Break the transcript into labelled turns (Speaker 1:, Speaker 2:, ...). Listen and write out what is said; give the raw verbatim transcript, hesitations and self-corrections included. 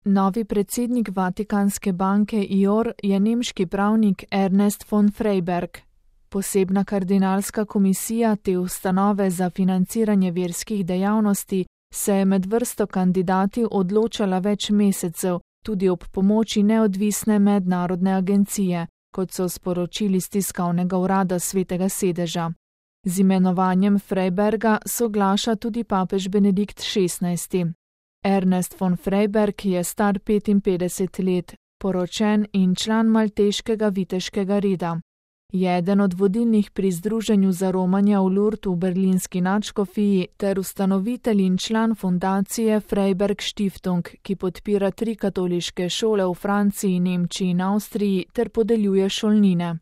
Speaker 1: Novi predsednik Vatikanske banke I O R je nemški pravnik Ernest von Freiberg. Posebna kardinalska komisija te ustanove za financiranje verskih dejavnosti se je med vrsto kandidati odločala več mesecev, tudi ob pomoči neodvisne mednarodne agencije, kot so sporočili z tiskovnega urada Svetega sedeža. Z imenovanjem Freiberga soglaša tudi papež Benedikt šestnajsti. Ernest von Freiberg je star petinpetdeset let, poročen in član malteškega viteškega reda. Je eden od vodilnih pri Združenju za romanja v Lourdes v berlinski nadškofiji ter ustanovitelj in član fundacije Freiberg Stiftung, ki podpira tri katoliške šole v Franciji, Nemčiji in Avstriji ter podeljuje šolnine.